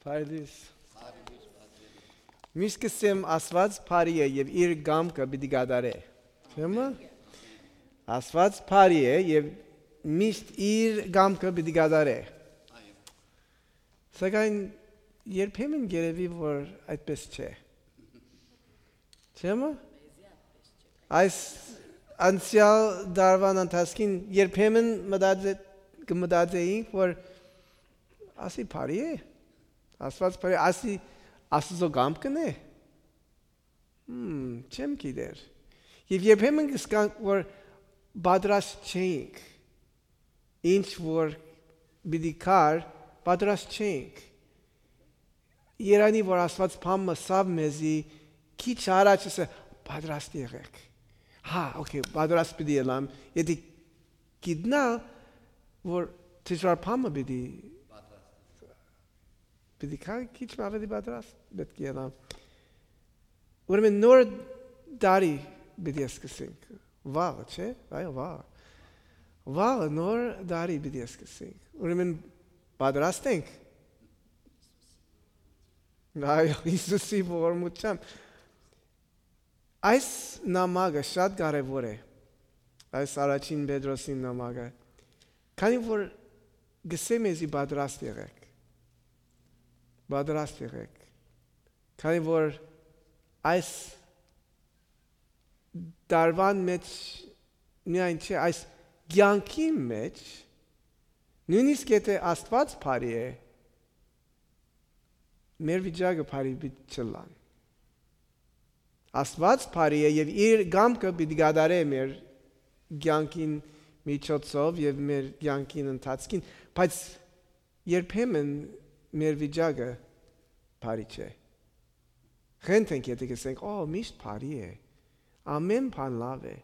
Փայլիս։ Միշտ կսեմ ասված բարի է եւ իր գամքը պիտի գադարե։ Չէ՞։ Ասված բարի է եւ միշտ իր գամքը պիտի գադարե։ Սակայն երբեմն գերեվի որ այդպես չէ։ Չէ՞։ Այս անցյալ դարվան ընթացքին երբեմն մտածեինք որ ասի բարի է։ Ասված բարի ասի ասծո գամքն է։ Չեմ գիտեր։ Եվ երբեմն կսկանք որ պատրաստ չենք։ Ինչ որ պիտի կար պատրաստ չենք։ Երանի որ ասված բամը սավ մեզի քիչ առաջ է պատրաստ եղեք։ Okay, պատրաստ պիտի ելամ։ Եթե գիտնա որ դժվար բամը պիտի քիչ ավելի պատրաստ պետք է ելամ։ Ուրեմն նոր դարի պիտի սկսենք։ Վաղը, չէ՞։ Այո, վաղը։ Վաղը նոր դարի պիտի սկսենք։ Ուրեմն պատրաստ ենք։ Այո, Հիսուսի ողորմությամբ։ Այս նամակը շատ կարևոր է։ Այս առաջին Պետրոսի նամակը։ Քանի որ գսեմ էզի պատրաստ եղեք։ Պատրաստ եղեք։ Քանի որ այս դարվան մեջ միայն չէ, այս կյանքի մեջ նույնիսկ եթե Աստված բարի է, մեր վիճակը բարի պիտի չլան։ Աստված բարի է եւ իր գամքը պիտի գադարե մեր կյանքին միջոցով եւ մեր կյանքին ընթացքին, բայց երբեմն մեր վիճակը բարի չէ։ Խնդրենք եթե կսենք, միշտ բարի է։ Ամեն բան լավ է։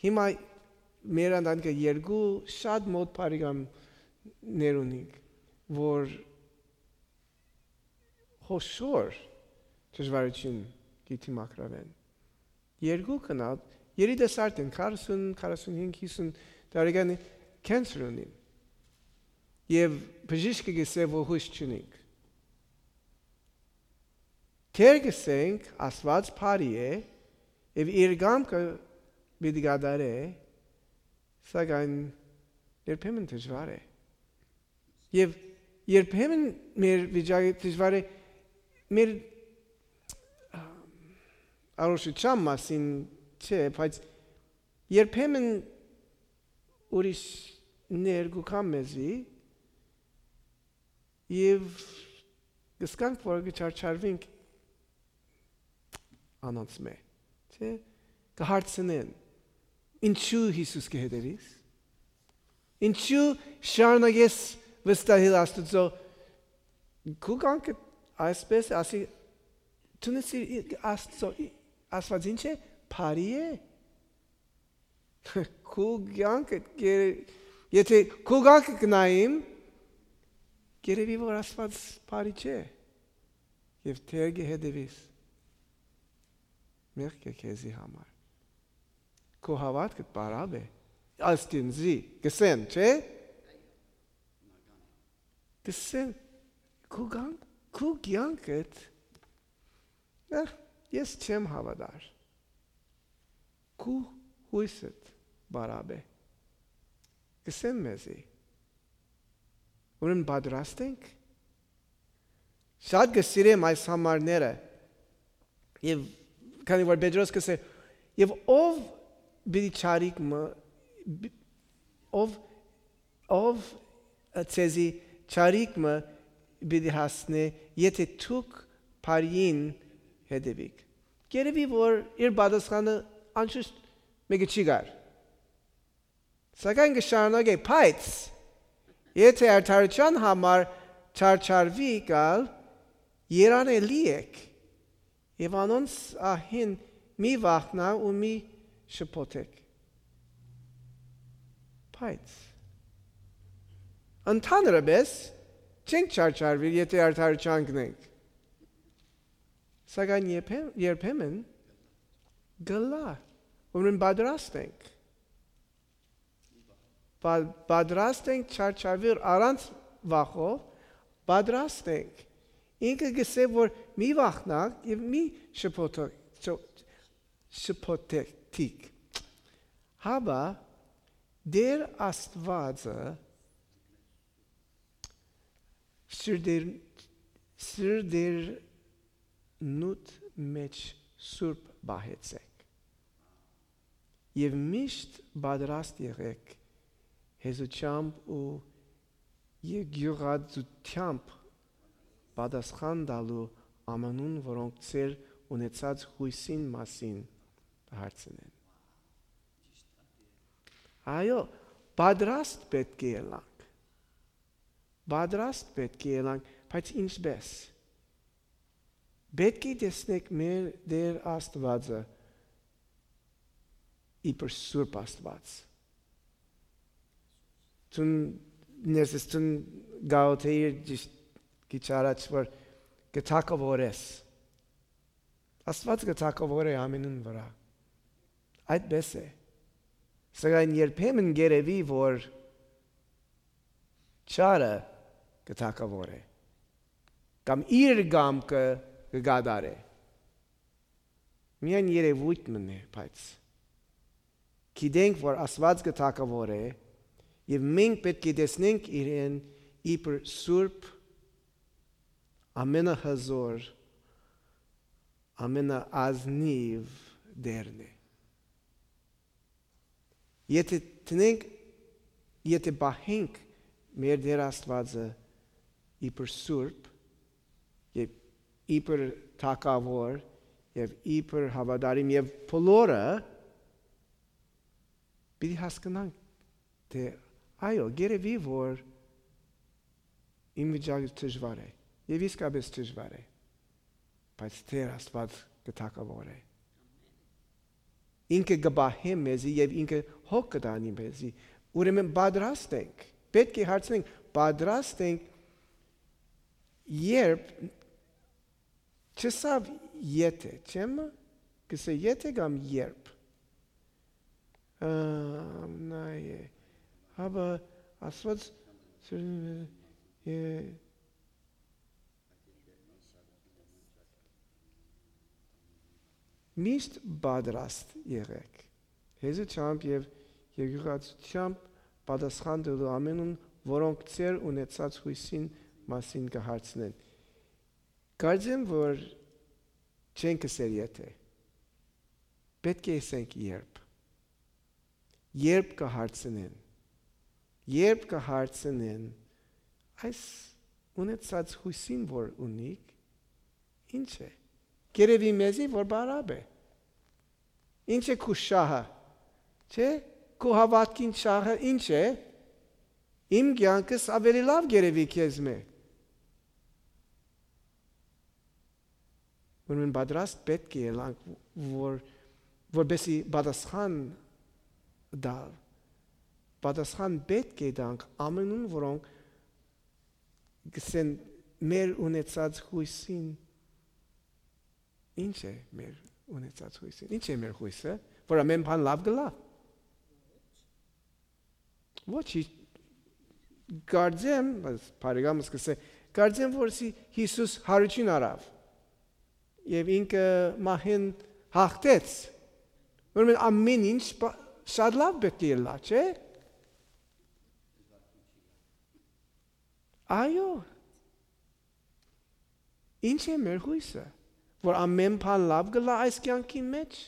Հիմա մեր ընտանիքը երկու շատ մոտ բարեկամներ ունենք, որ խոշոր դժվարություն գիտի մակրավեն։ Երկու կնալ երիտասարդ են 40, 45, 50 տարեկան կենսեր ունին։ Եվ բժիշկը գսե որ հույս չունենք։ Թեր գսենք ասված բարի է եւ իր գամքը պիտի գադարե, սակայն երբեմն դժվար է։ Եվ երբեմն մեր վիճակը դժվար է մեր առողջության մասին չէ, բայց երբեմն ուրիշ ներգուքան մեզի եւ գսկանք որ գճարչարվենք անոնց մե, չէ, կհարցնեն ինչու Հիսուս կհետևիս, ինչու շարունակես վստահել Աստծո քու կյանքը այսպես ասի Թունեցի Աստծո ասված ինչ է բարի է քու կյանքը եթե քու կյանքը գնայիմ գերեվի որ ասված բարի չէ եւ թեր գեհդեվիս մեղք է քեզի համար քու հավատքը բարավ է աստինզի գսեն չէ գսեն քու կյանքը ես չեմ հավատար քու հույսդ բարավ է գսեն մեզի ուրեմն պատրաստ ենք շատ գսիրեմ այս համարները եւ քանի որ Պետրոս կսե եւ ով բիդի չարիկը ով ցեզի չարիկը բիդի հասնե եթե դուք բարին հետևիկ գերեվի որ իր պատասխանը անշուշտ մեկը չի գար սակայն կշարունակե բայց եթե արդարության համար չարչարվի գալ երանելի եք եւ անոնց ահին մի վախնա ու մի շփոթեք բայց ընդհանրապես չենք չարչարվի եթե արդարության գնենք Սակայն երբեմն գլա, ուրեմն պատրաստ ենք պատրաստ ենք չարչարվիր առանց վախով, պատրաստ ենք ինքը գսե որ մի վախնակ եւ մի շփոթեք հաբա դեր Աստվածը սրդեր նուտ մեջ սուրբ բահեցեք եւ միշտ պատրաստ եղեք հեզությամբ ու եկեղեցությամբ պատասխան տալու ամանուն, որոնք ծեր ունեցած հույսին մասին հարցնեն։ Այո, պատրաստ պետք է ելանք։ Պատրաստ պետք է ելանք, բայց ինչպես։ Պետք է տեսնենք մեր Տեր Աստվածը իբր Սուրբ Աստված։ Տուն ներսեստուն գաութեիր քիչ առաջ որ գտակավորես։ Աստված գտակավոր է ամենուն վրա։ Այդպես է։ Սակայն երբեմն գերեվի որ չարը գտակավոր է։ Կամ իր գամքը գադար է։ Միայն երևույթ մնե, բայց գիտենք որ Աստված գտակավոր է եւ մենք պետք է տեսնենք իրեն իբր սուրբ ամենահզոր ամենաազնիվ դերն է։ Եթե բահենք մեր Տեր Աստվածը իբր սուրբ եւ իբր թակավոր եւ իբր հավատարիմ եւ բոլորը պիտի հասկանանք թե այո գերեվի որ իմ վիճակը դժվար է եւ իսկապես դժվար է բայց Տեր Աստված գտակավոր է ինքը գբահե մեզի եւ ինքը հոգ կտանի մեզի ուրեմն պատրաստ ենք պետք է հարցնենք պատրաստ ենք երբ չսավ եթե չեմ կսե եթե կամ երբ նայե հաբա Աստված միշտ պատրաստ եղեք հեզությամբ եւ եկեղեցությամբ պատասխան տալու ամենուն որոնք ծեր ունեցած հույսին մասին կհարցնեն կարծեմ որ չենք ասել եթե պետք է ասենք երբ կհարցնեն այս ունեցած հույսին որ ունիք ինչ է Գերեվի մեզի որ բարապ է ինչ է քու շահը չէ քու հավատքին շահը ինչ է իմ կյանքս ավելի լավ գերեվի քեզ մե Ուրեմն պատրաստ պետք է ելանք որբեսի պատասխան պետք է տանք ամենուն որոնք գսեն մեր ունեցած հույսին Ինչ է մեր ունեցած հույսը Ինչ է մեր հույսը որ ամեն բան լավ գլա Ոչ Կարծեմ բարեկամս կսե Կարծեմ որ Հիսուս հարություն արավ եւ ինքը մահին հաղթեց ուրեմն ամեն ինչ շատ լավ պետք է լա չէ Այո Ինչ է մեր հույսը որ ամեն բան լավ գլա այս կյանքի մեջ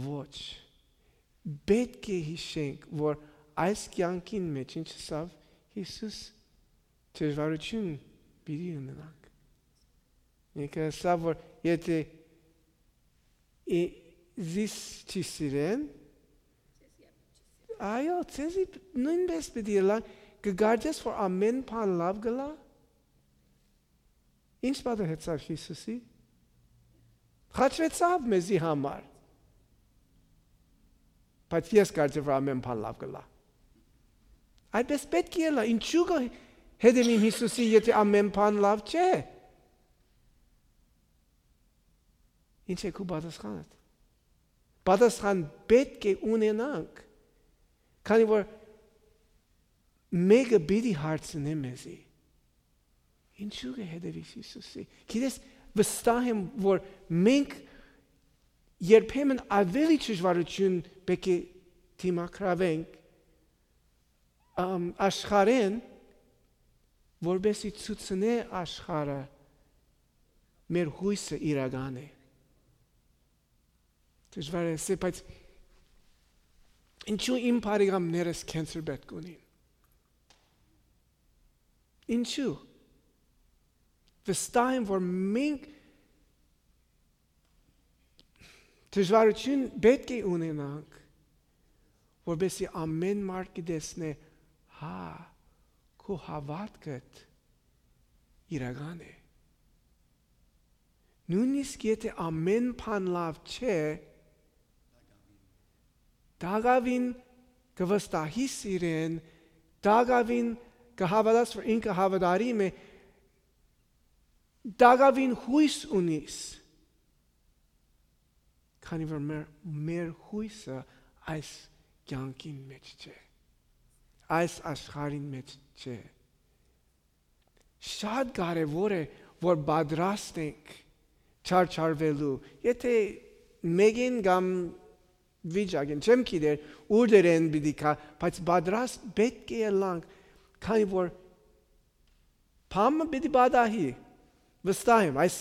Ոչ Պետք է հիշենք որ այս կյանքին մեջ ինչ սավ Հիսուս դժվարություն պիտի ունենանք Ինքը սավ որ եթե զիս չի սիրեն այո ցեզի նույնպես պիտի ելանք կգարձես որ ամեն բան լավ գլա Ինչ պատահեցավ Հիսուսի Խաչվեցավ մեզի համար Բայց ես կարծեմ որ ամեն բան լավ գլա Այդպես պետք է ելա ինչու հետևիմ Հիսուսի եթե ամեն բան լավ չէ Ինչ է քու պատասխանդ Պատասխան պետք է ունենանք Քանի որ մեկը պիտի հարցնե մեզի Ինչու կհետևես Հիսուսի։ Գիտես, վստահ եմ, որ մենք երբեմն ավելի ճշվարություն պետք է դիմակրավենք աշխարհին, որբեսի ցուցնե աշխարհը մեր հույսը իրական է։ Դժվար է, բայց ինչու իմ բարեկամներս կենսեր պետք ունին։ Ինչու։ Վստահ եմ, որ մենք դժվարություն պետք է ունենանք, որբեսի ամեն մարդ կտեսնի, քո հավատքդ իրական է։ Նույնիսկ եթե ամեն բան լավ չէ, դակավին կվստահիս իրեն, դակավին կհավատաս, որ ինքը հավատարիմ է, դակավին հույս ունիս, քանի որ մեր հույսը այս կյանքին մեջ չէ, այս աշխարհին մեջ չէ։ Շատ կարևոր է, որ պատրաստ ենք չարչարվելու։ Եթե մեկին կամ վիճակին չեմ գիտեր ուր դերեն պիտի կա, բայց պատրաստ պետք է ելանք, քանի որ փամը պիտի պատահի։ Վստահ եմ, այս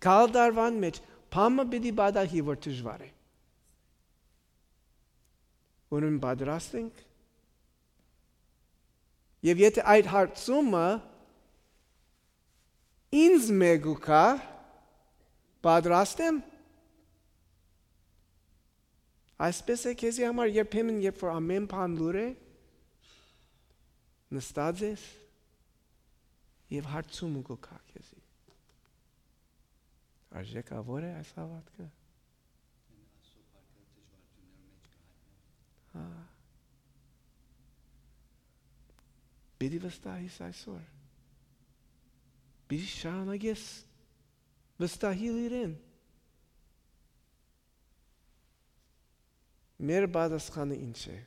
գալ դարվան մեջ փամը պիտի պատահի, որ դժվար է։ Ուրեմն պատրաստ ենք։ Եվ եթե այդ հարցումը ինձ մեգու կա, պատրաստ եմ։ Այսպես է քեզի համար երբեմն, երբ որ ամեն բան լուր է, նստած ես և հարցումը կա քեզի։ Արժեքավոր է այս հավատքը։ Պիտի վստահիս այսօր։ Պիտի շարունակես վստահել իրեն։ Մեր պատասխանը ինչ է։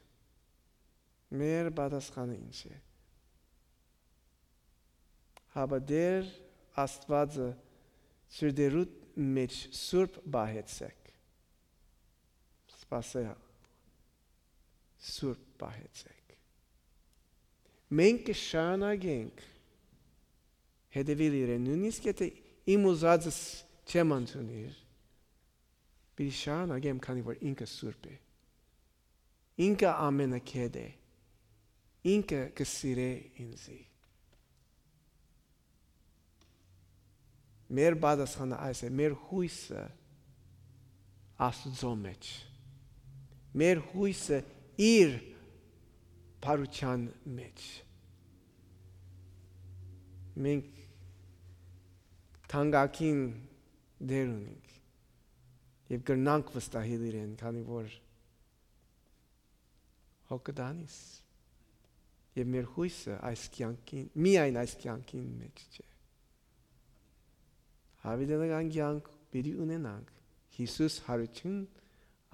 Մեր պատասխանը ինչ է։ Հավատեր Աստվածը սրտերուդ մեջ սուրբ բահեցեք։ Սպասել սուրբ բահեցեք։ Մենք կշարունակենք հետևել իրեն, նույնիսկ եթե իմ ուզածս չեմ ընդունել, պիտի շարունակեմ, քանի որ ինքը սուրբ է։ Ինքը ամենակետ է։ Ինքը կսիրե ինձի։ Մեր պատասխանը այս է, մեր հույսը Աստծո մեջ։ Մեր հույսը իր բարության մեջ։ Մենք թանկագին դեր ունենք և կրնանք վստահել իրեն, քանի որ հոգտանիս և մեր հույսը այս կյանքին, միայն այս կյանքին մեջ չէ։ Հավիտենական կյանք պիտի ունենանք։ Հիսուս հարություն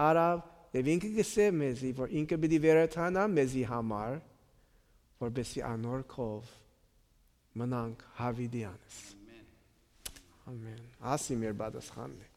արավ և ինքը գսե մեզի, որ ինքը պիտի վերադառնա մեզի համար, որպեսզի անորքով մնանք հավիտյանս։ Ամեն։ Ասի մեր պատասխանն է։